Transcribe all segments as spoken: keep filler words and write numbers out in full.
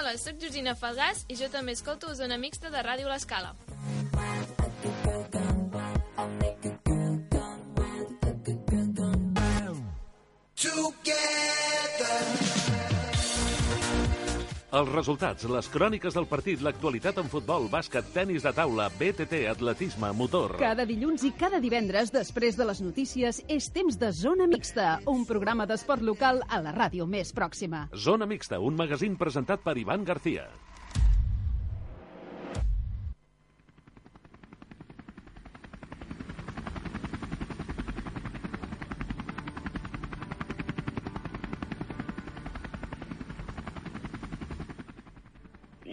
Hola, sóc Georgina Falgàs i jo també escolto Zona Mixta de Ràdio L'Escala. Els resultats, les cròniques del partit, l'actualitat en futbol, bàsquet, tenis de taula, B T T, atletisme, motor... Cada dilluns i cada divendres, després de les notícies, és temps de Zona Mixta, un programa d'esport local a la ràdio més pròxima. Zona Mixta, un magazín presentat per Ivan García.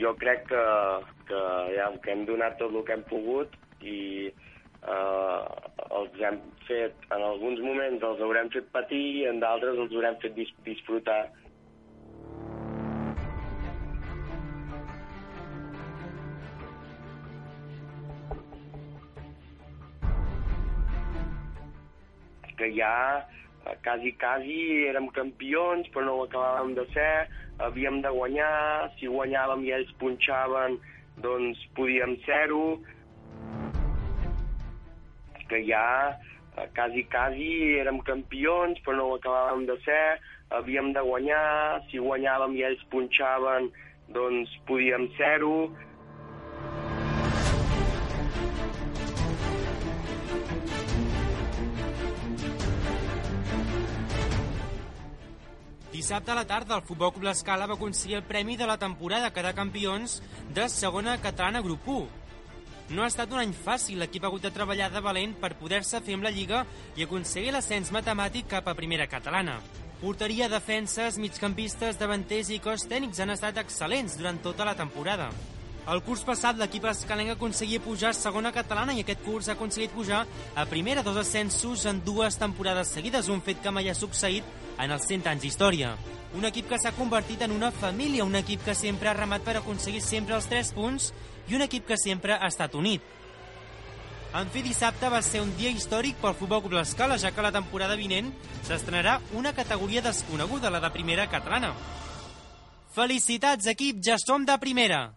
Jo crec que, que, ja, que hem donat tot el que hem pogut i eh, els hem fet, en alguns moments els haurem fet patir i en d'altres els haurem fet dis disfrutar. Que ja quasi, quasi érem campions, però no ho acabàvem de ser, havíem de guanyar, si guanyàvem i ells punxaven, doncs podíem ser-ho. Que ja quasi, quasi érem campions, però no ho acabàvem de ser, havíem de guanyar, si guanyàvem i ells punxaven, doncs podíem ser-ho. Dissabte a la tarda, el Futbol Club L'Escala va aconseguir el premi de la temporada a quedar campions de segona catalana grup u. No ha estat un any fàcil, l'equip ha hagut de treballar de valent per poder-se fer amb la Lliga i aconseguir l'ascens matemàtic cap a primera catalana. Porteria, defenses, migcampistes, davanters i cos tècnics han estat excel·lents durant tota la temporada. El curs passat l'equip escalenc aconseguia pujar a segona catalana i aquest curs ha aconseguit pujar a primera, dos ascensos en dues temporades seguides, un fet que mai ha succeït en els cent anys d'història. Un equip que s'ha convertit en una família, un equip que sempre ha remat per aconseguir sempre els tres punts i un equip que sempre ha estat unit. En fi, dissabte va ser un dia històric pel Futbol Club L'Escala, ja que la temporada vinent s'estrenarà una categoria desconeguda, la de primera catalana. Felicitats, equip, ja som de primera!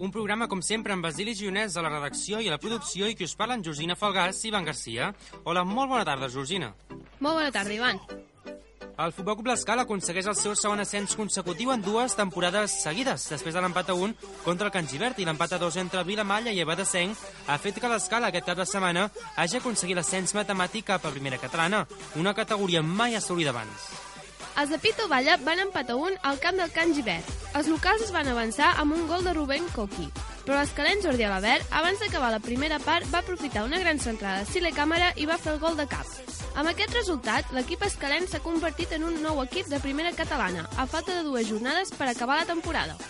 Un programa, com sempre, amb Basili Gionès a la redacció i a la producció i qui us parla en Georgina Falgàs i Ivan García. Hola, molt bona tarda, Georgina. Molt bona tarda, Ivan. El Futbol Club L'Escala aconsegueix el seu segon ascens consecutiu en dues temporades seguides, després de l'empat a un contra el Can Gibert i l'empat a dos entre Vilamalla i Abadesenc ha fet que l'Escala aquest cap de setmana hagi aconseguit l'ascens matemàtic cap a primera catalana, una categoria mai assolida abans. Els de Pito Valla van empatar un al camp del Can Gibert. Els locals es van avançar amb un gol de Rubén Coqui, però l'escalent Jordi Alabert, abans d'acabar la primera part, va aprofitar una gran centrada de Sile Càmera i va fer el gol de cap. Amb aquest resultat, l'equip escalent s'ha convertit en un nou equip de primera catalana, a falta de dues jornades per acabar la temporada.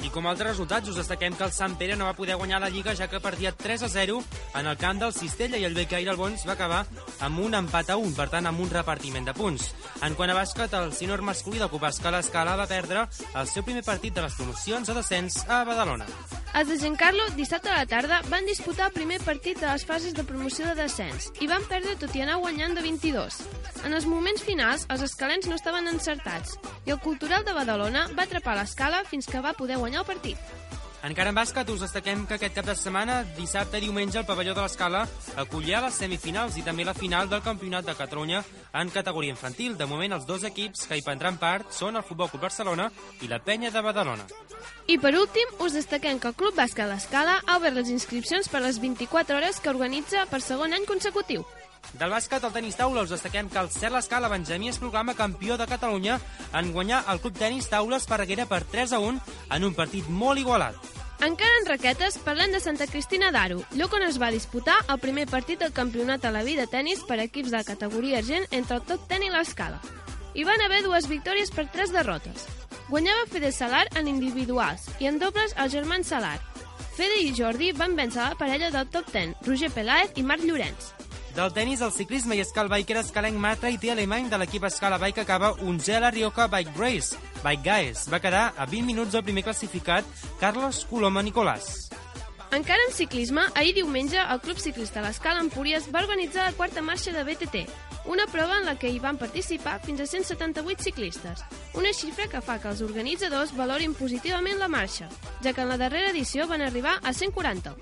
I com a altres resultats, us destaquem que el Sant Pere no va poder guanyar la Lliga, ja que perdia tres a zero en el camp del Cistella i el Becaire Albons va acabar amb un empat a un, per tant, amb un repartiment de punts. En quant a bàsquet, el sènior masculí del Club Escala Escala va perdre el seu primer partit de les promocions a descens a Badalona. Els de Giancarlo, dissabte a la tarda, van disputar el primer partit de les fases de promoció de descens i van perdre tot i anar guanyant de vint-i-dos. En els moments finals, els escalents no estaven encertats i el Cultural de Badalona va atrapar l'Escala fins que va poder guanyar el partit. Encara en bàsquet, us destaquem que aquest cap de setmana, dissabte i diumenge, el pavelló de l'Escala acollirà les semifinals i també la final del Campionat de Catalunya en categoria infantil. De moment, els dos equips que hi prendran part són el Futbol Club Barcelona i la Penya de Badalona. I per últim, us destaquem que el Club Bàsquet l'Escala ha obert les inscripcions per les vint-i-quatre hores que organitza per segon any consecutiu. Del bàsquet al tenis taula us destaquem que el Cert l'Escala Benjamí es proclama campió de Catalunya en guanyar el Club Tenis Taula Esparreguera per tres a un en un partit molt igualat. Encara en raquetes, parlem de Santa Cristina d'Aro, lloc on es va disputar el primer partit del campionat a la vida de tenis per equips de categoria argent entre el Top Ten i l'Escala. Hi van haver dues victòries per tres derrotes. Guanyava Fede Salar en individuals i en dobles els germans Salar. Fede i Jordi van vèncer la parella del Top Ten, Roger Peláez i Marc Llorenç. Del tennis al ciclisme i escal biker escalenc Marta i té alemany de l'equip Escala Bike acaba onzè a la Rioja Bike Race. Bike Guys va quedar a vint minuts del primer classificat, Carlos Coloma Nicolàs. Encara en ciclisme, ahir diumenge el Club Ciclista l'Escala Empúries va organitzar la quarta marxa de B T T, una prova en la que hi van participar fins a cent setanta-vuit ciclistes, una xifra que fa que els organitzadors valorin positivament la marxa, ja que en la darrera edició van arribar a cent quaranta.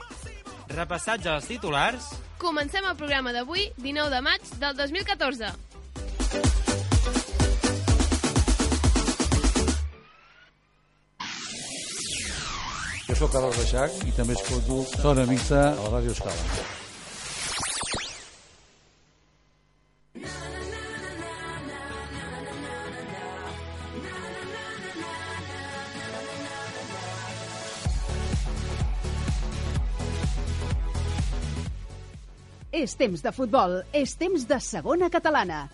Repassats als titulars... Comencem el programa d'avui, dinou de maig del dos mil catorze. Jo soc Carles Reixac i també escolto Zona Mixta a la Ràdio Escala. És temps de futbol, és temps de segona catalana.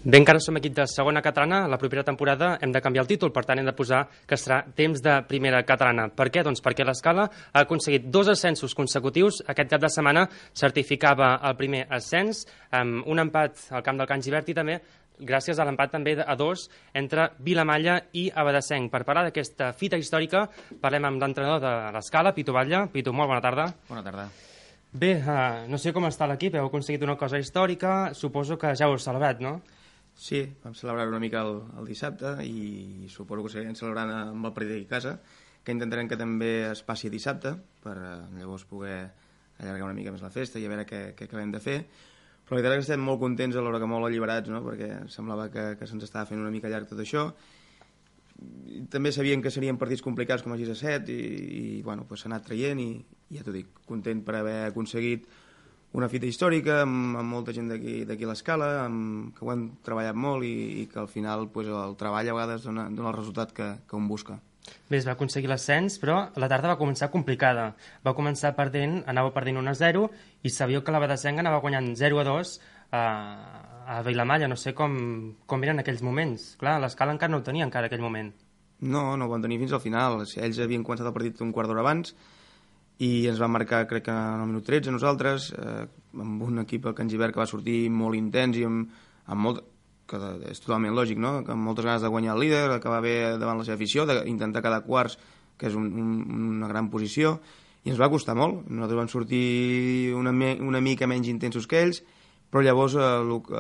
Bé, encara som equip de segona catalana. La propera temporada hem de canviar el títol, per tant hem de posar que serà temps de primera catalana. Per què? Doncs perquè l'Escala ha aconseguit dos ascensos consecutius. Aquest cap de setmana certificava el primer ascens amb un empat al camp del Can Gibert i també gràcies a l'empat també a dos entre Vilamalla i Abadessenc. Per parlar d'aquesta fita històrica parlem amb l'entrenador de l'Escala, Pitu Batlle. Pitu, molt bona tarda. Bona tarda. Bé, uh, no sé com està l'equip, heu aconseguit una cosa històrica, suposo que ja ho heu celebrat, no? Sí, vam celebrar una mica el, el dissabte i suposo que seguirem celebrant amb el partit d'aquí a casa, que intentarem que també es passi dissabte per uh, llavors poder allargar una mica més la festa i a veure què, què acabem de fer. Però la veritat és que estem molt contents, alhora que molt alliberats, no? Perquè semblava que, que se'ns estava fent una mica llarg tot això. També sabien que serien partits complicats com a Gisa set i, i bueno, pues s'ha anat traient i, i ja t'ho dic, content per haver aconseguit una fita històrica amb, amb molta gent d'aquí a l'Escala, amb, que ho hem treballat molt i, i que al final pues, el treball a vegades dona, dona el resultat que, que un busca. Bé, es va aconseguir l'ascens, però la tarda va començar complicada. Va començar perdent, anava perdent un a zero i sabíeu que l'Abadessenc anava guanyant zero a dos a, a Vilamalla. No sé com, com eren aquells moments. Clar, l'Escala encara no ho tenia encara aquell moment. No, no ho van tenir fins al final. Ells havien començat el partit un quart d'hora abans i ens van marcar, crec que en el minut tretze, nosaltres, eh, amb un equip al Can Gibert que va sortir molt intens i amb, amb molt... que és totalment lògic, no? Que amb moltes ganes de guanyar el líder, acabar bé davant la seva afició, d'intentar quedar quarts, que és un, un, una gran posició, i ens va costar molt. Nosaltres vam sortir una, una mica menys intensos que ells, però llavors eh,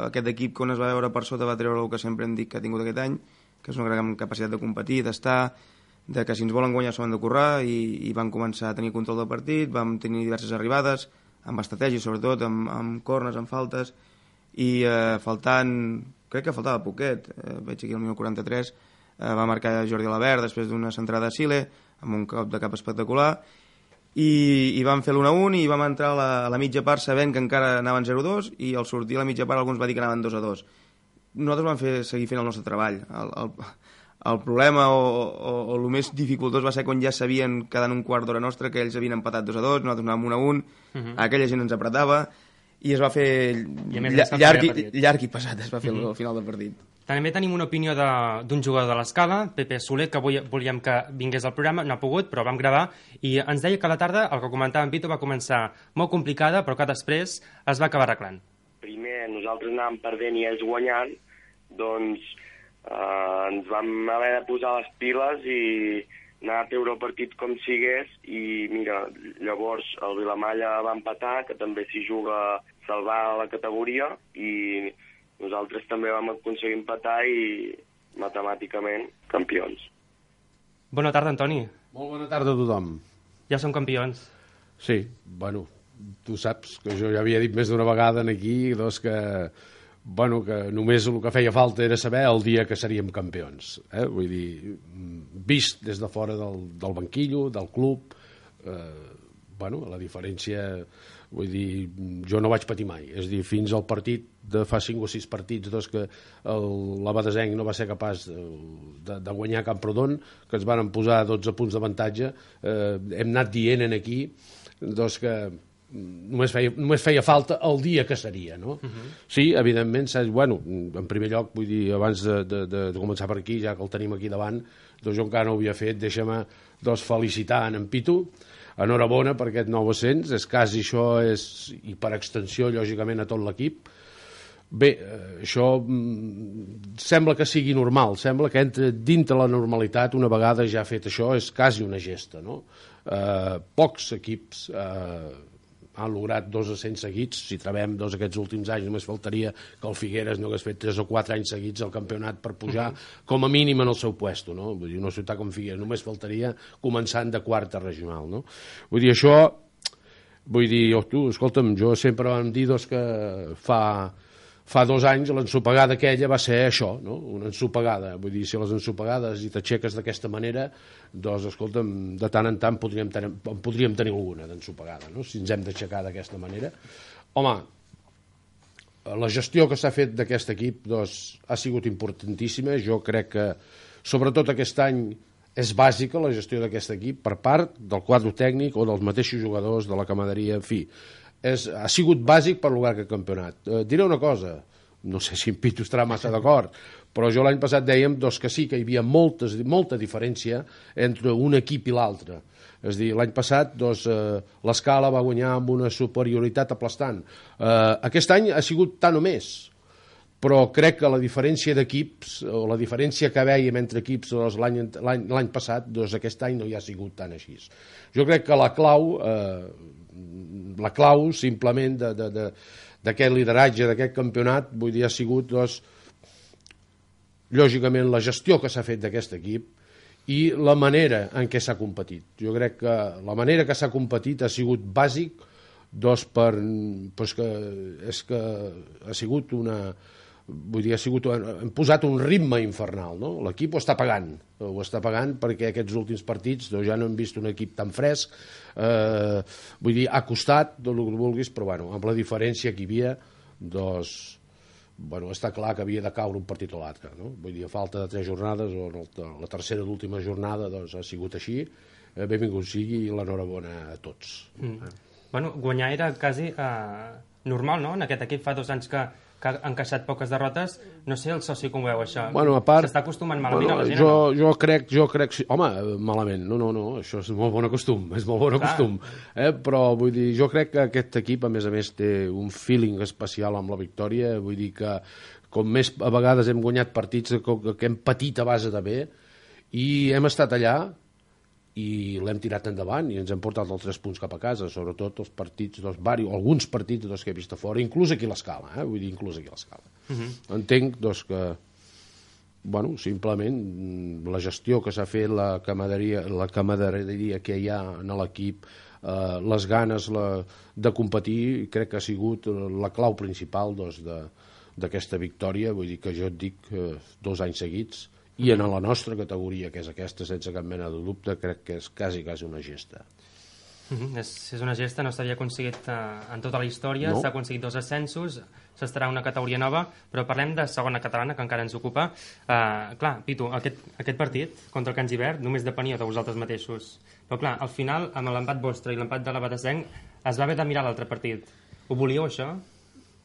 aquest equip, quan es va veure per sota, va treure el que sempre hem dit que ha tingut aquest any, que és una gran capacitat de competir, d'estar, de que si ens volen guanyar s'ho han de currar, i, i van començar a tenir control del partit, vam tenir diverses arribades, amb estratègia sobretot, amb, amb corners, amb faltes, i eh, faltant... crec que faltava poquet, eh, veig aquí el minut quaranta-tres, eh, va marcar Jordi Alabert després d'una centrada a Sile, amb un cop de cap espectacular, i, i vam fer l'u a un i vam entrar a la, a la mitja part sabent que encara anaven zero a dos i al sortir a la mitja part alguns va dir que anaven dos a dos. Nosaltres vam fer, seguir fent el nostre treball. El, el, el problema o, o, o el més dificultós va ser quan ja sabien quedant un quart d'hora nostra que ells havien empatat dos a dos, nosaltres anàvem un a un, uh-huh. Aquella gent ens apretava, i es va fer lla llarg, i, llarg i pesat, es va fer mm-hmm. al final del partit. També tenim una opinió d'un jugador de l'Escala, Pepe Soler, que avui volíem que vingués al programa, no ha pogut, però vam gravar, i ens deia que la tarda, el que comentava en Pito, va començar molt complicada, però que després es va acabar arreglant. Primer nosaltres anàvem perdent i ells guanyant, doncs eh, ens vam haver de posar les piles i anar a treure el partit com sigués, i mira, llavors el Vilamalla va empatar, que també s'hi juga salvar la categoria, i nosaltres també vam aconseguir empatar i matemàticament campions. Bona tarda, Antoni. Molt bona tarda a tothom. Ja som campions. Sí, bueno, tu saps que jo ja havia dit més d'una vegada aquí doncs que, bueno, que només el que feia falta era saber el dia que seríem campions. Eh? Vull dir, vist des de fora del, del banquillo, del club, eh, bueno, la diferència... Vull dir, jo no vaig patir mai. És dir, fins al partit de fa cinc o sis partits doncs, que l'Abadesenc no va ser capaç de, de guanyar Camprodon, que ens van posar dotze punts d'avantatge, eh, hem anat dient aquí doncs, que només feia, només feia falta el dia que seria, no? Uh-huh. Sí, evidentment, saps, bueno, en primer lloc, vull dir, abans de, de, de començar per aquí, ja que el tenim aquí davant, doncs jo encara no ho havia fet, deixa'm doncs, felicitar en Pitu, enhorabona per aquest nou ascens, és quasi això, és, i per extensió, lògicament, a tot l'equip. Bé, això sembla que sigui normal, sembla que entra dintre la normalitat, una vegada ja fet això, és quasi una gesta, no? Eh, pocs equips eh, han lograt dos ascens seguits, si trobem dos aquests últims anys, només faltaria que el Figueres no hagués fet tres o quatre anys seguits al campionat per pujar com a mínim en el seu puesto, no? Vull dir, una ciutat com Figueres només faltaria començant de quarta regional, no? Vull dir, això, vull dir, oh, tu, escolta'm, jo sempre vam dir doncs, que fa... Fa dos anys l'ensopegada aquella va ser això, no? Una ensopegada. Vull dir, si les ensopegades i t'aixeques d'aquesta manera, doncs, escolta'm, de tant en tant podríem tenir, podríem tenir alguna d'ensopegada, no? Si ens hem d'aixecar d'aquesta manera. Home, la gestió que s'ha fet d'aquest equip doncs, ha sigut importantíssima. Jo crec que, sobretot aquest any, és bàsica la gestió d'aquest equip per part del quadre tècnic o dels mateixos jugadors de la camaderia, en fi. És, ha sigut bàsic per lograr aquest campionat. Eh, diré una cosa, no sé si en Pitu estarà massa d'acord, però jo l'any passat dèiem doncs, que sí que hi havia moltes, molta diferència entre un equip i l'altre. És a dir, l'any passat doncs, eh, l'Escala va guanyar amb una superioritat aplastant. Eh, aquest any ha sigut tant o més, però crec que la diferència d'equips, o la diferència que vèiem entre equips doncs, l'any passat, doncs, aquest any no hi ha sigut tan així. Jo crec que la clau... Eh, la clau simplement d'aquest lideratge, d'aquest campionat, vull dir, ha sigut doncs, lògicament la gestió que s'ha fet d'aquest equip i la manera en què s'ha competit. Jo crec que la manera que s'ha competit ha sigut bàsic doncs, per, doncs que, és que ha sigut una... Vull dir, ha sigut, hem posat un ritme infernal, no? L'equip ho està pagant, ho està pagant perquè aquests últims partits doncs, ja no hem vist un equip tan fresc, eh, vull dir, ha costat, tot el que vulguis, però bueno, amb la diferència que hi havia, doncs, bueno, està clar que havia de caure un partit o l'altre, no? Vull dir, a falta de tres jornades, o la tercera i l'última jornada, doncs ha sigut així, eh, benvingut sigui i l'enhorabona a tots. Mm. Eh? Bueno, guanyar era quasi eh, normal, no? En aquest equip fa dos anys que que ha encaixat poques derrotes, no sé el soci com ho veu això, bueno, a part, s'està acostumant malament bueno, a la gent jo, o no? Jo crec, jo crec, home, malament, no, no, no, això és molt bon costum, és molt bon costum, eh? Però vull dir, jo crec que aquest equip a més a més té un feeling especial amb la victòria, vull dir que com més a vegades hem guanyat partits que hem patit a base de bé i hem estat allà i l'hem tirat endavant i ens hem portat els tres punts cap a casa, sobretot els partits, doncs, vari, alguns partits doncs, que he vist a fora, inclús aquí a l'Escala, eh? Vull dir, inclús aquí a l'Escala. Uh -huh. Entenc doncs, que, bueno, simplement la gestió que s'ha fet, la camaraderia, la camaraderia que hi ha en l'equip, eh, les ganes la, de competir, crec que ha sigut la clau principal doncs, d'aquesta victòria, vull dir que jo et dic eh, dos anys seguits, i en la nostra categoria, que és aquesta, sense cap mena de dubte, crec que és quasi, quasi una gesta. Mm-hmm. és, és una gesta, no s'havia aconseguit uh, en tota la història, no. S'ha aconseguit dos ascensos, s'estarà una categoria nova, però parlem de segona catalana, que encara ens ocupa. Uh, clar, Pitu, aquest, aquest partit contra el Can Gibert només depenia de vosaltres mateixos. Però clar, al final, amb l'empat vostre i l'empat de la Batassenc, es va haver de mirar l'altre partit. Ho volíeu, això?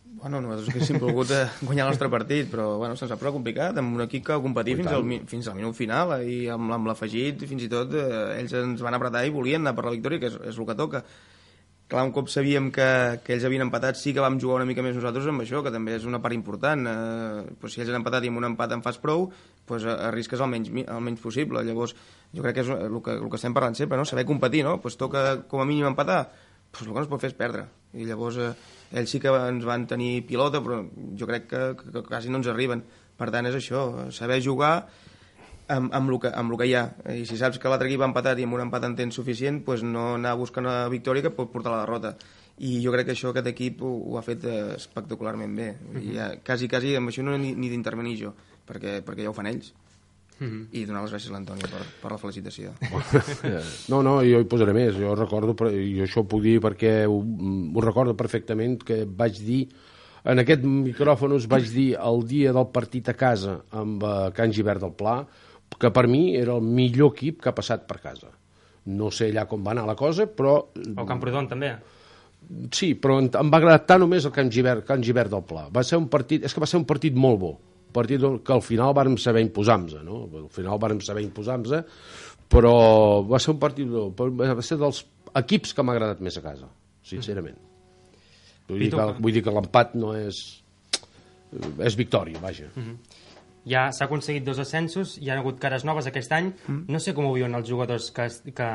Bueno, nosaltres haguéssim volgut guanyar el nostre partit, però bueno, se'ns ha prou complicat, amb un equip que va competir fins al, fins al minut final, i amb, amb l'afegit, fins i tot, eh, ells ens van apretar i volien anar per la victòria, que és, és el que toca. Clar, un cop sabíem que, que ells havien empatat, sí que vam jugar una mica més nosaltres amb això, que també és una part important. Eh, pues si ells han empatat i amb un empat en fas prou, pues arrisques el menys, el menys possible. Llavors, jo crec que és el que, el que estem parlant sempre, no? Saber competir, no? Pues toca com a mínim empatar, pues el que no es pot fer és perdre. I llavors eh, ells sí que ens van tenir pilota, però jo crec que, que, que quasi no ens arriben. Per tant, és això, saber jugar amb, amb, el que, amb el que hi ha. I si saps que l'altre equip ha empatat i amb un empat en tens suficient, pues no anar a buscar una victòria que pot portar a la derrota. I jo crec que això aquest equip ho, ho ha fet espectacularment bé. I ja, quasi, quasi amb això no he ni, ni d'intervenir jo, perquè, perquè ja ho fan ells. Mm-hmm. I donar les gràcies a l'Antònia per, per la felicitació. No, no, jo hi posaré més. Jo recordo, i això ho puc dir perquè ho, ho recordo perfectament, que vaig dir, en aquest micròfon us vaig dir el dia del partit a casa amb uh, Can Gibert del Pla, que per mi era el millor equip que ha passat per casa. No sé allà com va anar la cosa, però... O Camprodon, també. Sí, però em va agradar tant només el Can Gibert, Can Gibert del Pla. Va ser un partit, és que va ser un partit molt bo. Partit que al final vàrem saber imposar-nos, no? Al final vàrem saber imposar-nos, però va ser un partit, va ser dels equips que m'ha agradat més a casa, sincerament. Vull dir que, vull dir que l'empat no és... és victòria, vaja. Ja s'ha aconseguit dos ascensos, hi ha hagut cares noves aquest any. No sé com ho viuen els jugadors que, que,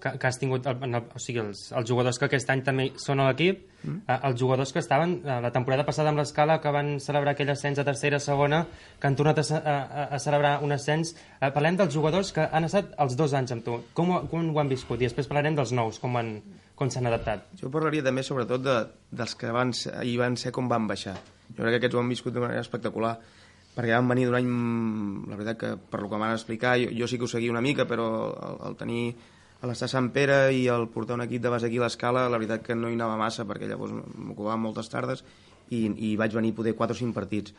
que, que has tingut, el, o sigui, els, els jugadors que aquest any també són a l'equip, mm. els jugadors que estaven la temporada passada amb l'Escala, que van celebrar aquell ascens a tercera, segona, que han tornat a, a, a celebrar un ascens. Parlem dels jugadors que han estat els dos anys amb tu. Com, com ho han viscut? I després parlarem dels nous, com han, com s'han adaptat. Jo parlaria també, sobretot, de, dels que van ser, hi van ser com van baixar. Jo crec que aquests ho han viscut de manera espectacular, perquè van venir d'un any, la veritat que per lo que m'han explicat, jo, jo sí que ho seguia una mica, però el, el tenir l'estar a Sant Pere i el portar un equip de base aquí a l'Escala, la veritat que no hi anava massa, perquè llavors m'ocupava moltes tardes i, i vaig venir poder quatre o cinc partits.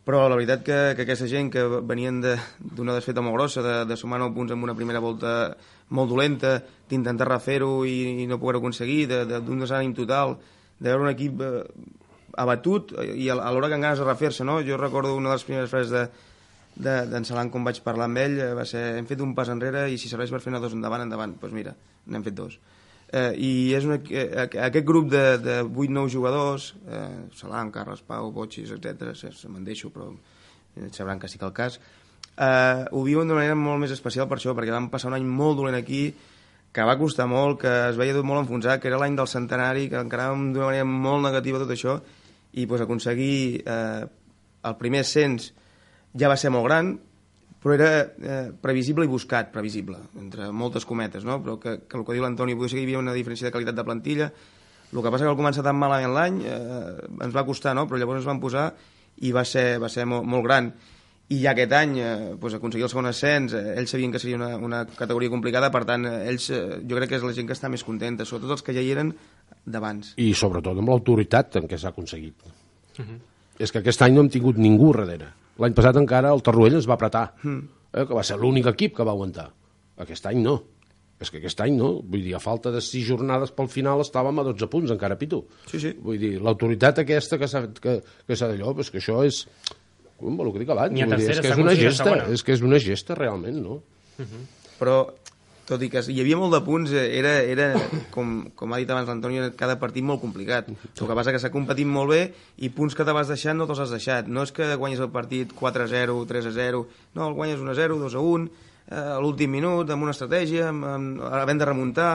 Però la veritat que, que aquesta gent que venien d'una de, desfeta molt grossa, de, de sumar nou punts en una primera volta molt dolenta, d'intentar refer-ho i, i no poder-ho aconseguir, d'un desànim total, de veure un equip eh, abatut i a l'hora que en ganes de refer-se, no? Jo recordo una de les primeres frases de d'en Salan, com vaig parlar amb ell, va ser: hem fet un pas enrere i si serveix per fer una dos endavant, endavant. Doncs pues mira, n'hem fet dos. Eh, I és una, eh, aquest grup de, de vuit nou jugadors, eh, Salan, Carles Pau, Botxis, etcètera, se me'n deixo, però sabran que sí que el cas, eh, ho viuen d'una manera molt més especial per això, perquè vam passar un any molt dolent aquí, que va costar molt, que es veia tot molt enfonsat, que era l'any del centenari, que encaràvem d'una manera molt negativa tot això, i pues, aconseguir eh, el primer ascens ja va ser molt gran, però era eh, previsible i buscat, previsible, entre moltes cometes, no? Però que, que el que diu l'Antoni, potser que hi havia una diferència de qualitat de plantilla. El que passa que al començar tan malament l'any eh, ens va costar, no? Però llavors ens van posar i va ser, va ser molt, molt gran. I ja aquest any eh, pues, aconseguir el segon ascens, eh, ells sabien que seria una, una categoria complicada, per tant, eh, ells eh, jo crec que és la gent que està més contenta, sobretot els que ja hi eren d'abans. I sobretot amb l'autoritat en què s'ha aconseguit. Uh-huh. És que aquest any no hem tingut ningú darrere. L'any passat encara el Tarruell ens va apretar, mm. eh, que va ser l'únic equip que va aguantar. Aquest any no. És que aquest any no. Vull dir, a falta de sis jornades pel final estàvem a dotze punts, encara, Pitu. Sí, sí. Vull dir, l'autoritat aquesta que s'ha que, que d'allò, és que això és... Com el que dic abans, Ni a tercera, dir, és que és una gesta, és que és una gesta realment, no? Uh-huh. Però, tot i que hi havia molt de punts, era, era com, com ha dit abans l'Antoni, cada partit molt complicat. El que passa que s'ha competit molt bé i punts que te vas deixant no te'ls has deixat. No és que guanyes el partit quatre a zero, tres a zero, no, el guanyes un a zero, dos a un, eh, a l'últim minut, amb una estratègia, amb, amb, havent de remuntar.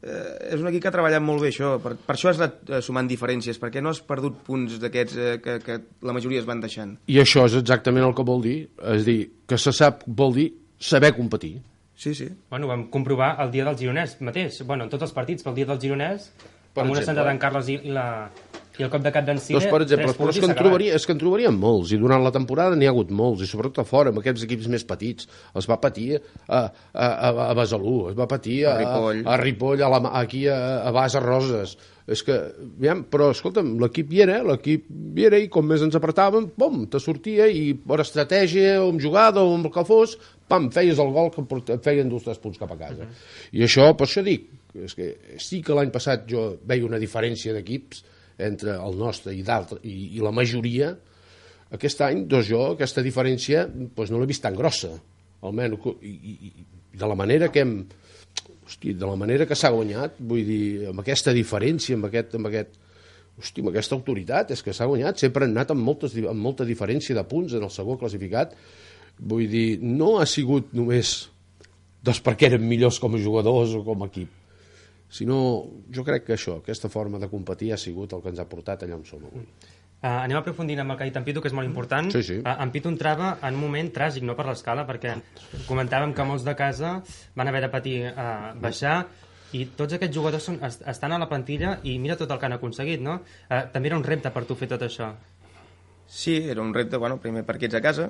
Eh, és un equip que ha treballat molt bé això, per, per això has anat sumant diferències, perquè no has perdut punts d'aquests eh, que, que la majoria es van deixant. I això és exactament el que vol dir, és dir, que se sap, vol dir saber competir. Sí, sí. Bueno, vam comprovar el dia del Gironès mateix, bueno, en tots els partits, pel dia del Gironès, per amb una sentada d'en Carles i, la, i el cop de cap d'en Cine, doncs, per exemple, però és que, en trobaria, és que en trobaríem molts, i durant la temporada n'hi ha hagut molts, i sobretot a fora, amb aquests equips més petits. Es va patir a, a, a, a Besalú, es va patir a, a Ripoll, a, a, Ripoll, a la, aquí a, a Bas, a Roses. És que, aviam, però, escolta'm, l'equip hi era, l'equip hi era, i com més ens apretàvem, pom, te sortia, i per estratègia, o amb jugada, o amb el que fos, pam, feies el gol que et feien dos o tres punts cap a casa. Uh-huh. I això, per això dic, és que sí que l'any passat jo veia una diferència d'equips entre el nostre i d'altre, i, i la majoria. Aquest any, doncs jo, aquesta diferència doncs no l'he vist tan grossa, almenys, i, i, i de la manera que hem, hosti, de la manera que s'ha guanyat, vull dir, amb aquesta diferència, amb aquest, amb aquest, hosti, amb aquesta autoritat, és que s'ha guanyat, sempre han anat amb, moltes, amb molta diferència de punts en el segon classificat. Vull dir, no ha sigut només doncs perquè eren millors com a jugadors o com a equip, sinó jo crec que això, aquesta forma de competir ha sigut el que ens ha portat allà on som avui. Uh, anem aprofundint amb el que ha dit en Pitu, que és molt important. Sí, sí. Uh, en Pitu entrava en un moment tràgic, no per l'Escala, perquè comentàvem que molts de casa van haver de patir uh, baixar, i tots aquests jugadors són, est estan a la plantilla i mira tot el que han aconseguit, no? Uh, també era un repte per tu fer tot això. Sí, era un repte, bueno, primer perquè ets a casa,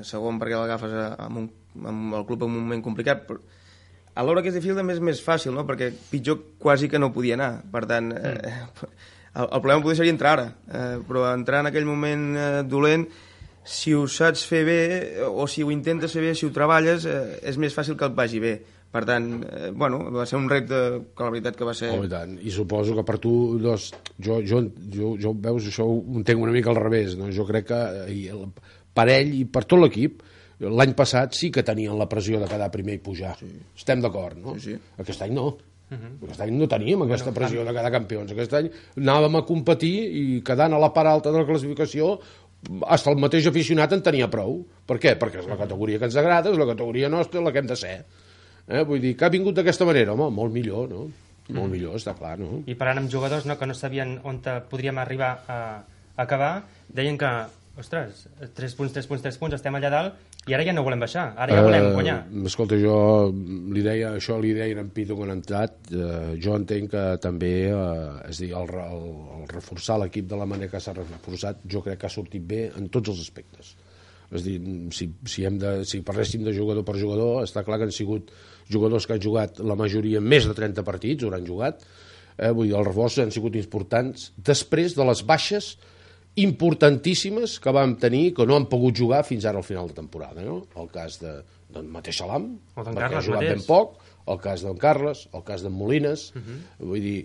segon perquè l'agafes amb, un, amb el club en un moment complicat, però a l'hora que és difícil també és més fàcil, no? Perquè pitjor quasi que no podia anar, per tant, eh, el, el problema potser seria entrar ara, eh, però entrar en aquell moment eh, dolent, si ho saps fer bé, o si ho intentes fer bé, si ho treballes, eh, és més fàcil que et vagi bé. Per tant, eh, bueno, va ser un repte que la veritat que va ser... Oh, i tant. I suposo que per tu, doncs, jo, jo, jo, jo veus, això ho entenc una mica al revés, no? Jo crec que i el, per ell i per tot l'equip, l'any passat sí que tenien la pressió de quedar primer i pujar. Sí. Estem d'acord, no? Sí, sí. Aquest any no. Uh-huh. Aquest any no teníem aquesta bueno, pressió de quedar campions. Aquest any anàvem a competir i quedant a la part alta de la classificació hasta el mateix aficionat en tenia prou. Per què? Perquè és la categoria que ens agrada, és la categoria nostra, la que hem de ser. Eh? Vull dir, que ha vingut d'aquesta manera, home, molt millor, no? Molt mm. millor, està clar, no? I parlant amb jugadors, no, que no sabien on podríem arribar a, a acabar, deien que, ostres, tres punts, tres punts, tres punts, estem allà dalt, i ara ja no volem baixar, ara ja volem guanyar. Uh, escolta, jo li deia, això li deia en Pitu quan ha entrat, uh, jo entenc que també, uh, és dir, el, el, el reforçar l'equip de la manera que s'ha reforçat, jo crec que ha sortit bé en tots els aspectes. És dir, si, si, hem de, si parléssim de jugador per jugador, està clar que han sigut jugadors que han jugat la majoria més de trenta partits, o han jugat, eh, vull dir, els reforços han sigut importants després de les baixes importantíssimes que vam tenir, que no han pogut jugar fins ara al final de temporada, no? El cas de, del mateix Salam, perquè ha jugat ben poc, el cas d'en Carles, el cas d'en Molines, uh-huh. vull dir...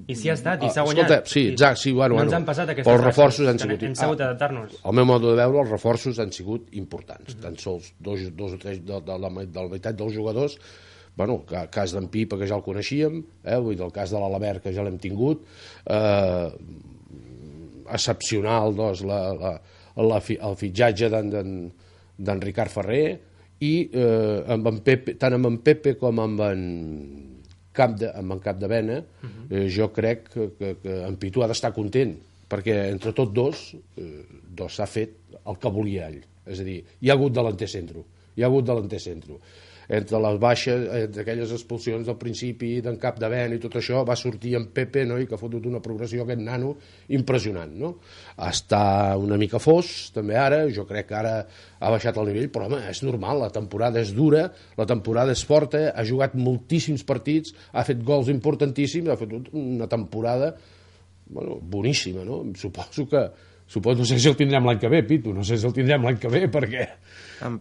I si ha estat, i s'ha guanyat. Escolta, sí, exacte, sí, bueno, no bueno, ens han passat aquestes els reforços han sigut... Hem sabut adaptar-nos. Al meu modo de veure, els reforços han sigut importants. Uh-huh. Tan sols dos, dos o tres de, de, la, de la meitat dels jugadors, bueno, el cas d'en Pipa, que ja el coneixíem, eh, vull dir, el cas de l'Alabert, que ja l'hem tingut, eh, excepcional, doncs, la, la, la, el fitxatge d'en Ricard Ferrer, i eh, amb en Pepe, tant amb en Pepe com amb en Cap de, amb en Capdevena, uh-huh. eh, jo crec que, que, que en Pitu ha d'estar content, perquè entre tots dos, eh, dos s'ha fet el que volia ell. És a dir, hi ha hagut delanter centro, hi ha hagut delanter centro. Entre les baixes, entre aquelles expulsions del principi d'en Capdevena i tot això, va sortir en Pepe, no?, i que ha fotut una progressió aquest nano impressionant, no? Està una mica fos, també ara, jo crec que ara ha baixat el nivell, però home, és normal, la temporada és dura, la temporada és forta, ha jugat moltíssims partits, ha fet gols importantíssims, ha fet una temporada, bueno, boníssima, no? Suposo que Suposo, no sé si el tindrem l'any que ve, Pitu, no sé si el tindrem l'any que ve, perquè,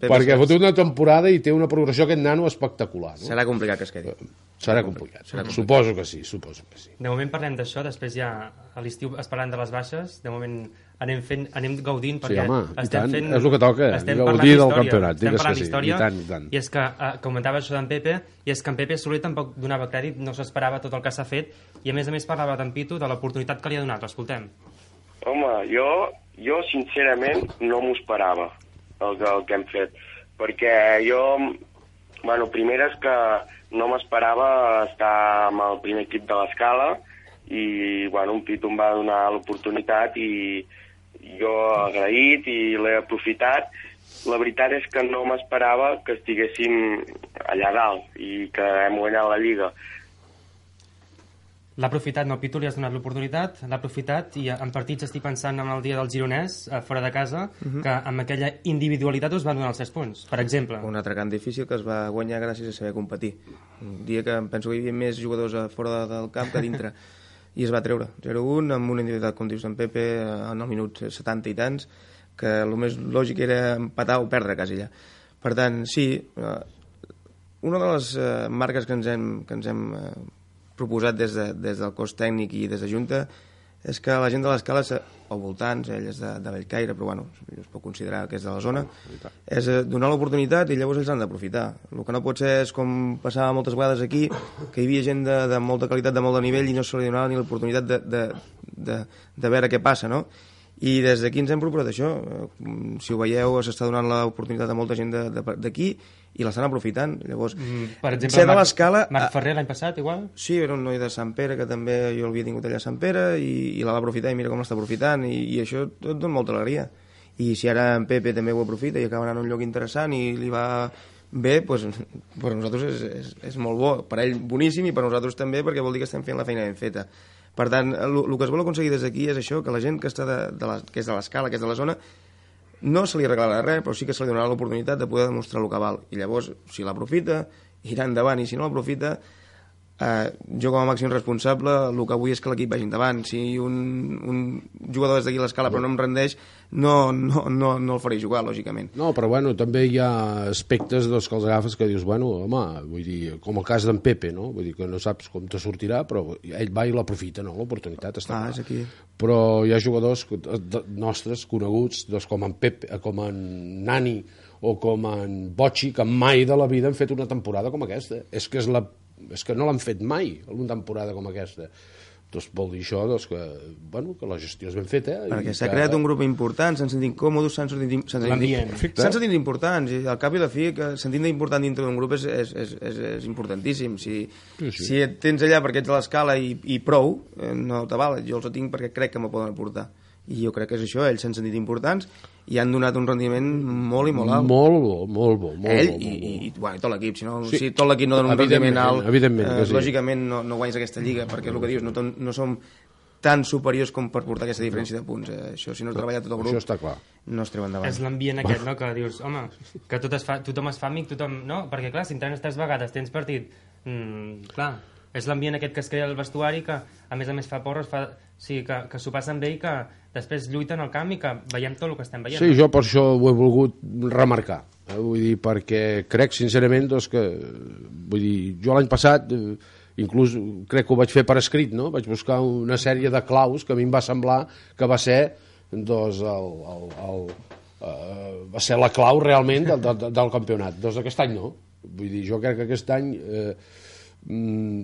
perquè ha fotut una temporada i té una progressió aquest nano espectacular. No? Serà complicat que es quedi. Serà complicat, serà complicat. Suposo que sí, suposo que sí. De moment parlem d'això, després ja a l'estiu es parlant de les baixes, de moment anem, fent, anem gaudint, perquè sí, home, estem tant, fent... és el que toca, gaudir del campionat, estem parlant d'història, sí, i tant, i tant. I és que, eh, comentava això d'en Pepe, i és que en Pepe Soler tampoc donava crèdit, no s'esperava tot el que s'ha fet, i a més a més parlava d'en Pitu de l'oportunitat que li ha donat, l'escoltem. Home, jo, jo sincerament no m'ho esperava, el, el que hem fet, perquè jo, bueno, primer és que no m'esperava estar amb el primer equip de l'Escala i, bueno, un Pitu em va donar l'oportunitat i jo agraït i l'he aprofitat. La veritat és que no m'esperava que estiguéssim allà dalt i que hem guanyat la Lliga. L'ha aprofitat, no, Pitu, li has donat l'oportunitat, l'ha aprofitat, i en partits estic pensant en el dia del Gironès, fora de casa, uh-huh. que amb aquella individualitat us van donar els tres punts, per exemple. Un altre camp difícil que es va guanyar gràcies a saber competir. Un dia que penso que hi havia més jugadors a fora del camp que a dintre, i es va treure zero un amb una individualitat, com dius en Pepe, en el minut setanta i tants, que el més lògic era empatar o perdre quasi allà. Per tant, sí, una de les marques que ens hem, que ens hem proposat des, de, des del cos tècnic i des de Junta és que la gent de l'Escala, al voltants, ell és de, de Bellcaire, però bueno, es pot considerar que és de la zona, és donar l'oportunitat i llavors ells han d'aprofitar. El que no pot ser és com passava moltes vegades aquí, que hi havia gent de, de molta qualitat, de molt de nivell, i no se li donava ni l'oportunitat de, de, de, de veure què passa, no? I des d'aquí ens hem proposat això. Si ho veieu, s'està donant l'oportunitat a molta gent d'aquí i l'estan aprofitant. Llavors, mm, per exemple, ser de l'Escala... Marc Ferrer l'any passat, igual? Sí, era un noi de Sant Pere, que també jo l'havia tingut allà a Sant Pere, i, i la va aprofitar, i mira com l'està aprofitant, i, i això tot dona molta alegria. I si ara en Pepe també ho aprofita i acaba anant a un lloc interessant i li va bé, doncs, per nosaltres és, és, és molt bo. Per ell boníssim, i per nosaltres també, perquè vol dir que estem fent la feina ben feta. Per tant, el, el que es vol aconseguir des d'aquí és això, que la gent que, està de, de la, que és de l'Escala, que és de la zona, no se li regalarà res, però sí que se li donarà l'oportunitat de poder demostrar el que val. I llavors, si l'aprofita, irà endavant, i si no l'aprofita, eh, jo com a màxim responsable, el que vull és que l'equip vagi endavant. Si un, un jugador és d'aquí a l'Escala però no em rendeix, no, no, no, no el faré jugar, lògicament. No, però bueno, també hi ha aspectes doncs, que els agafes que dius, bueno, home, vull dir, com el cas d'en Pepe, no? Vull dir que no saps com te sortirà, però ell va i l'aprofita, no? L'oportunitat està ah, clar. És aquí. Però hi ha jugadors nostres, coneguts, doncs, com en Pepe, com en Nani o com en Bocci, que mai de la vida han fet una temporada com aquesta. És que és la és que no l'han fet mai una temporada com aquesta. Doncs vol dir això doncs, que, bueno, que la gestió és ben feta. Perquè s'ha que... creat un grup important, s'han sentit còmodes, s'han sentit, sentit, sentit importants, i al cap i a la fi que sentir important dintre d'un grup és, és, és, és, és importantíssim. Si, sí, sí. si et tens allà perquè ets a l'escala i, i prou, no t'avala. Jo els tinc perquè crec que me poden aportar. I jo crec que és això, ells s'han sentit importants i han donat un rendiment molt i molt alt. Molt bo, molt bo. Molt Ell bo, i, molt bo. i, bueno, i tot l'equip. Si, no, sí. si tot l'equip no dona un rendiment alt, eh, sí. lògicament no, no guanyes aquesta lliga, perquè el que dius, no, no som tan superiors com per portar aquesta diferència de punts. Eh? Això, si no es treballa tot el grup, això està clar. No es treu endavant. És l'ambient aquest, no?, que dius, home, que tot es fa, tothom es fa amic, tothom... No? Perquè, clar, si entrenes tres vegades, tens partit... Mm, clar, és l'ambient aquest que es crea al vestuari, que a més a més fa porres, fa... sí, que, que s'ho passen bé i que després lluiten al camp i que veiem tot el que estem veient. Sí, jo per això ho he volgut remarcar. Eh? Vull dir, perquè crec sincerament doncs, que... Vull dir, jo l'any passat... Eh, inclús crec que ho vaig fer per escrit, no? Vaig buscar una sèrie de claus que a mi em va semblar que va ser doncs, el, el, el, uh, va ser la clau realment del, del, del campionat. Doncs aquest any no. Vull dir, jo crec que aquest any eh,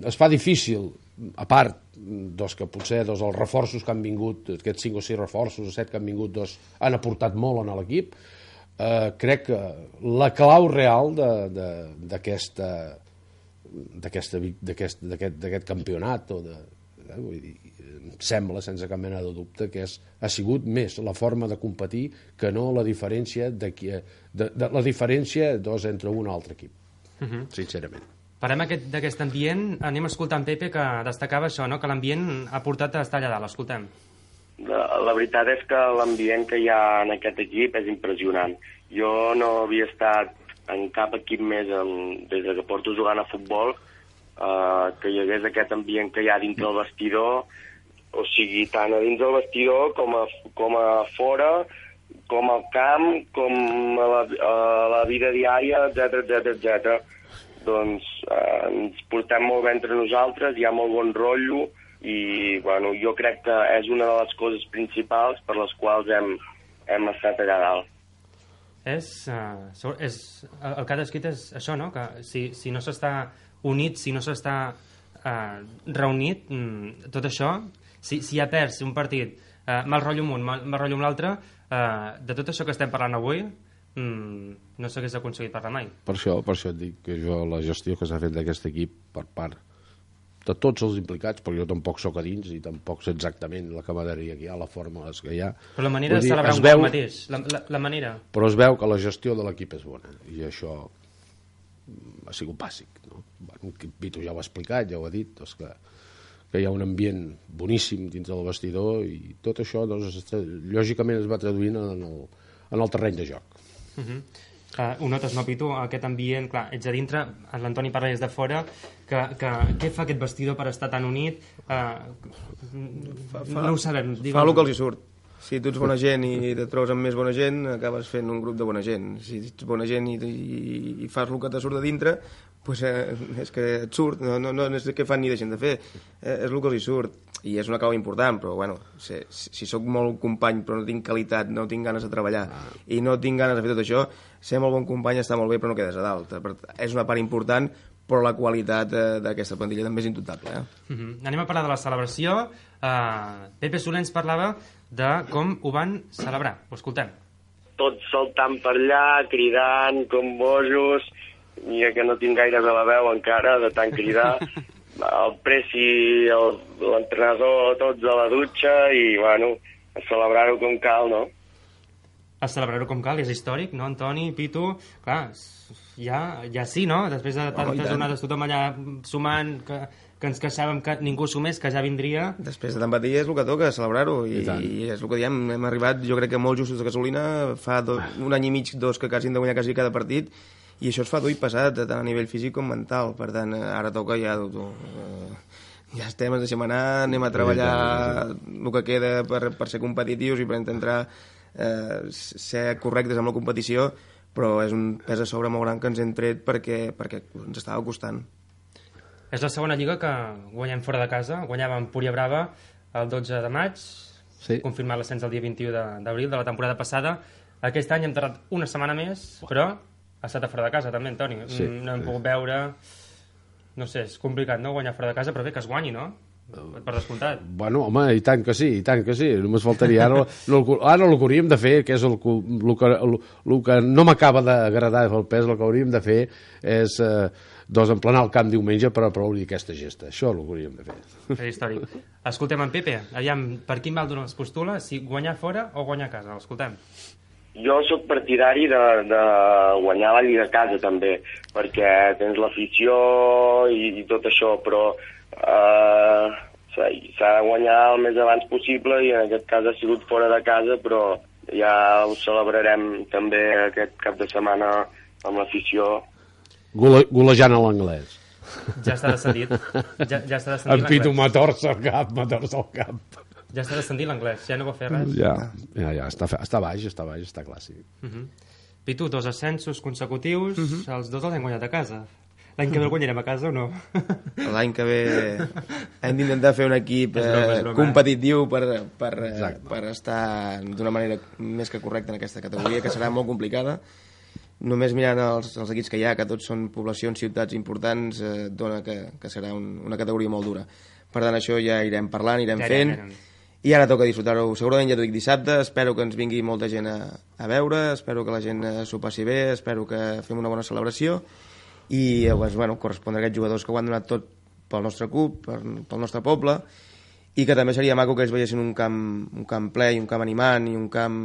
es fa difícil, a part doncs, que potser doncs, els reforços que han vingut, aquests cinc o sis reforços o set que han vingut, doncs, han aportat molt a l'equip. Eh, crec que la clau real d'aquesta d'aquest d'aquest campionat o de, eh, vull dir, em sembla sense cap mena de dubte que és, ha sigut més la forma de competir que no la diferència de, de, de la diferència doncs, entre un altre equip, uh-huh. sincerament. Parlem aquest, d'aquest ambient, anem a escoltar en Pepe que destacava això, no? Que l'ambient ha portat a estar allà dalt, escoltem. La, la veritat és que l'ambient que hi ha en aquest equip és impressionant. Jo no havia estat en cap equip més en, des que porto jugant a futbol eh, que hi hagués aquest ambient que hi ha dintre el vestidor, o sigui, tant a dins del vestidor com a, com a fora, com al camp, com a la, a la vida diària, etcètera, etcètera, etcètera. Doncs eh, ens portem molt bé entre nosaltres, hi ha molt bon rotllo i bueno, jo crec que és una de les coses principals per les quals hem, hem estat allà dalt. És, uh, és, el que ha descrit és això, no? Que si, si no s'està unit, si no s'està uh, reunit, mm, tot això, si, si ja perds un partit, uh, mal rotllo amb un, mal, mal rotllo amb l'altre, uh, de tot això que estem parlant avui, mm, no s'hagués aconseguit parlar mai. Per això, per això et dic que jo la gestió que s'ha fet d'aquest equip per part de tots els implicats, perquè jo tampoc sóc a dins i tampoc sé exactament la camaraderia que hi ha, la fórmula que hi ha. Però la manera de celebrar un veu, gol mateix, la, la, la manera... Però es veu que la gestió de l'equip és bona, i això ha sigut bàsic, no? Bueno, Vito ja ho ha explicat, ja ho ha dit, doncs que, que hi ha un ambient boníssim dins del vestidor i tot això, doncs, lògicament es va traduint en el, en el terreny de joc. Uh-huh. Uh, ho notes, no, Pitu? Aquest ambient, clar, ets a dintre, l'Antoni parla des de fora, que, que què fa aquest vestidor per estar tan unit? Uh, fa, fa, no ho sabem. Digue'm. Fa el que els hi surt. Si tu ets bona gent i et trobes amb més bona gent, acabes fent un grup de bona gent. Si ets bona gent i, i, i fas el que te surt de dintre, pues, eh, és que et surt, no, no, no és que fan ni deixen de fer, eh, és el que els hi surt. I és una clau important, però bueno, si, si sóc molt company però no tinc qualitat, no tinc ganes de treballar i no tinc ganes de fer tot això, ser molt bon company està molt bé però no quedes a dalt. És una part important, però la qualitat d'aquesta plantilla també és indubtable. Eh? Uh-huh. Anem a parlar de la celebració. Uh, Pepe Soler ens parlava de com ho van celebrar. Ho escoltem. Tots saltant per allà, cridant com bojos, i que no tinc gaire de la veu encara de tant cridar. El Presi, l'entrenador, tots a la dutxa i, bueno, a celebrar-ho com cal, no? A celebrar-ho com cal, és històric, no, Antoni, Pitu? Clar, ja, ja sí, no? Després de tantes oh, jornades tothom allà sumant, que, que ens queixàvem que ningú sumés, que ja vindria... Després de tant patir és el que toca, celebrar-ho, i, I, i és el que diem, hem arribat, jo crec que molt justos de gasolina, fa do, un any i mig, dos, que quasi hem de guanyar quasi cada partit, i això es fa dur i passat, tant a nivell físic com mental. Per tant, ara toca ja... Tu, eh, ja estem, ens deixem anar, anem a treballar el que queda per, per ser competitius i per intentar eh, ser correctes amb la competició, però és un pes a sobre molt gran que ens hem tret perquè, perquè ens estava costant. És la segona lliga que guanyem fora de casa. Guanyàvem Púria Brava el dotze de maig, sí. Confirmat l'ascens el dia vint-i-u d'abril de la temporada passada. Aquest any hem tardat una setmana més, però... Ha estat a fora de casa, també, Antoni. Sí, no hem sí. pogut veure... no sé, és complicat, no?, guanyar fora de casa, però bé, que es guanyi, no?, per descomptat. Bueno, home, i tant que sí, i tant que sí. Només faltaria. Ara, no, ara el que hauríem de fer, que és el, el, que, el, el que no m'acaba d'agradar el pes, el que hauríem de fer és eh, doncs emplenar el camp diumenge per aplaudir aquesta gesta. Això és el que hauríem de fer. És històric. Escoltem en Pepe, aviam, per quin mal d'on es postula, si guanyar fora o guanyar a casa? L'escoltem. Jo sóc partidari de, de guanyar la Lliga a casa, també, perquè tens l'afició i, i tot això, però Uh, s'ha de guanyar el més abans possible i en aquest cas ha sigut fora de casa, però ja ho celebrarem també aquest cap de setmana amb l'afició. Gole, golejant a l'anglès. Ja està descendit. Ja, ja està descendit en Pitu m'ha tors al cap, m'ha tors al cap. Ja està descendit l'anglès, ja no va fer res. Ja, ja, ja està, està baix, està baix, està clar, sí. Uh -huh. Pitu, dos ascensos consecutius, uh -huh. els dos els hem guanyat a casa. L'any que ve el guanyarem a casa o no? L'any que ve hem d'intentar fer un equip eh, competitiu per, per, per estar d'una manera més que correcta en aquesta categoria, que serà molt complicada. Només mirant els, els equips que hi ha, que tots són poblacions, ciutats importants, eh, dona que, que serà un, una categoria molt dura. Per tant, això ja irem parlant, irem ja fent, ja, ja. I ara toca disfrutar-ho. Segurament ja t'ho dic dissabte, espero que ens vingui molta gent a, a veure, espero que la gent s'ho passi bé, espero que fem una bona celebració, i doncs, bueno, correspondre a aquests jugadors que ho han donat tot pel nostre club, pel nostre poble, i que també seria maco que ells veiessin un camp, un camp ple i un camp animant i un camp...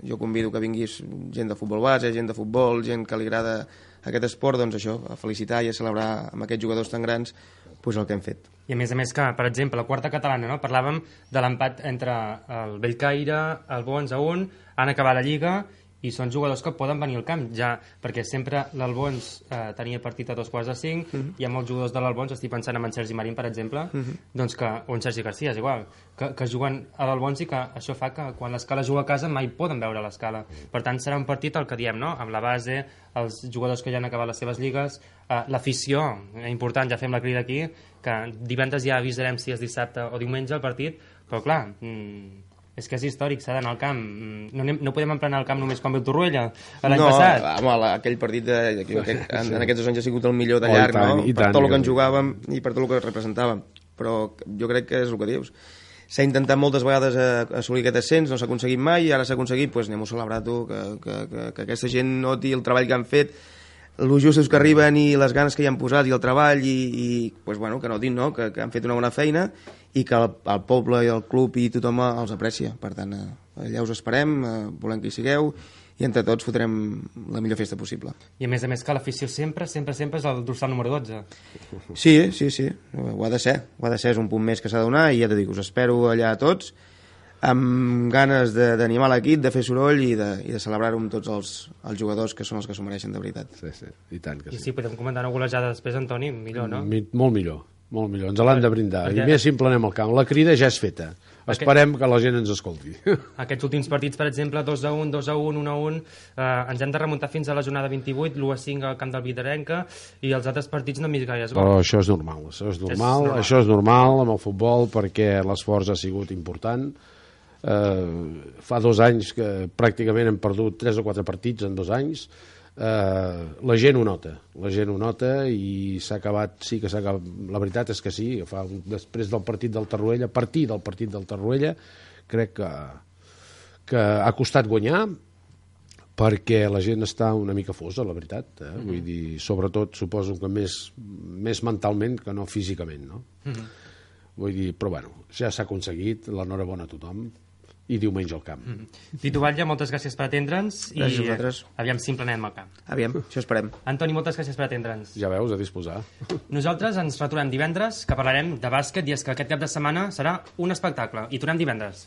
Jo convido que vinguis gent de futbol base, gent de futbol, gent que li agrada aquest esport, doncs això, a felicitar i a celebrar amb aquests jugadors tan grans pues el que hem fet. I a més a més que, per exemple, la quarta catalana, no? Parlàvem de l'empat entre el Bellcaire, el Bons a un, han acabat la Lliga i són jugadors que poden venir al camp, ja, perquè sempre l'Albons eh, tenia partit a dos quarts de cinc, uh -huh. Hi ha molts jugadors de l'Albons, estic pensant en Sergi Marín, per exemple, uh -huh. doncs que, o en Sergi Garcia, és igual, que, que juguen a l'Albons i que això fa que quan l'Escala juga a casa mai poden veure l'Escala. Per tant, serà un partit, el que diem, no?, amb la base, els jugadors que ja han acabat les seves lligues, eh, l'afició, important, ja fem la crida aquí, que divendres ja avisarem si és dissabte o diumenge el partit, però clar... Mmm, és que és històric, s'ha d'anar al camp. No, anem, no podem emplenar el camp només quan ve el Torroella, l'any no, passat. No, home, aquell partit, de, de, aquest, en, en aquests dos anys ha sigut el millor de llarg, oh, tant, no? Per tant, tot el que ens jugàvem i per tot el que representàvem. Però jo crec que és el que dius. S'ha intentat moltes vegades assolir aquest ascens, no s'ha aconseguit mai, i ara s'ha aconseguit, doncs anem a celebrar, tu, que, que, que, que aquesta gent noti el treball que han fet, els justos que arriben i les ganes que hi han posat i el treball, i, i pues, bueno, que notin, no?, que, que han fet una bona feina i que el, el poble i el club i tothom els aprecia. Per tant, eh, allà us esperem, eh, volem que hi sigueu, i entre tots fotrem la millor festa possible. I a més a més que l'afició sempre, sempre, sempre és el dorsal número dotze. Sí, sí, sí, ho ha de ser. Ho ha de ser, és un punt més que s'ha de donar, i ja t'ho dic, us espero allà a tots, amb ganes d'animar l'equip, de fer soroll i de, i de celebrar-ho amb tots els, els jugadors que són els que s'ho mereixen de veritat. Sí, sí, i tant que sí. I si podem comentar una golejada després, Antoni, millor, no? Mi, molt millor. Molt millor, ens l'han de brindar. Perquè... I més si emplenem el camp. La crida ja és feta. Esperem Aquest... que la gent ens escolti. Aquests últims partits, per exemple, dos a un, dos a un, un a un, eh, ens hem de remuntar fins a la jornada vint-i-vuit, l'u a cinc al camp del Vidarenca, i els altres partits no hem vist gaire. Però això és normal, això és normal, és normal. Això és normal amb el futbol, perquè l'esforç ha sigut important. Eh, fa dos anys que pràcticament hem perdut tres o quatre partits en dos anys. Uh, la gent ho nota, la gent ho nota i s'ha acabat, sí que s'ha acabat, la veritat és que sí, fa, després del partit del Torroella, a partir del partit del Torroella, crec que, que ha costat guanyar perquè la gent està una mica fosa, la veritat, eh? Mm-hmm. Vull dir, sobretot suposo que més, més mentalment que no físicament, no? Mm-hmm. Vull dir, però bueno, ja s'ha aconseguit, l'enhorabona a tothom, i diumenge al camp. Mm-hmm. Pitu Batlle, moltes gràcies per atendre'ns i aviam si emplenem el camp. Aviam, això esperem. Antoni, moltes gràcies per atendre'ns. Ja veus, a disposar. Nosaltres ens retornem divendres, que parlarem de bàsquet, i és que aquest cap de setmana serà un espectacle, i tornem divendres.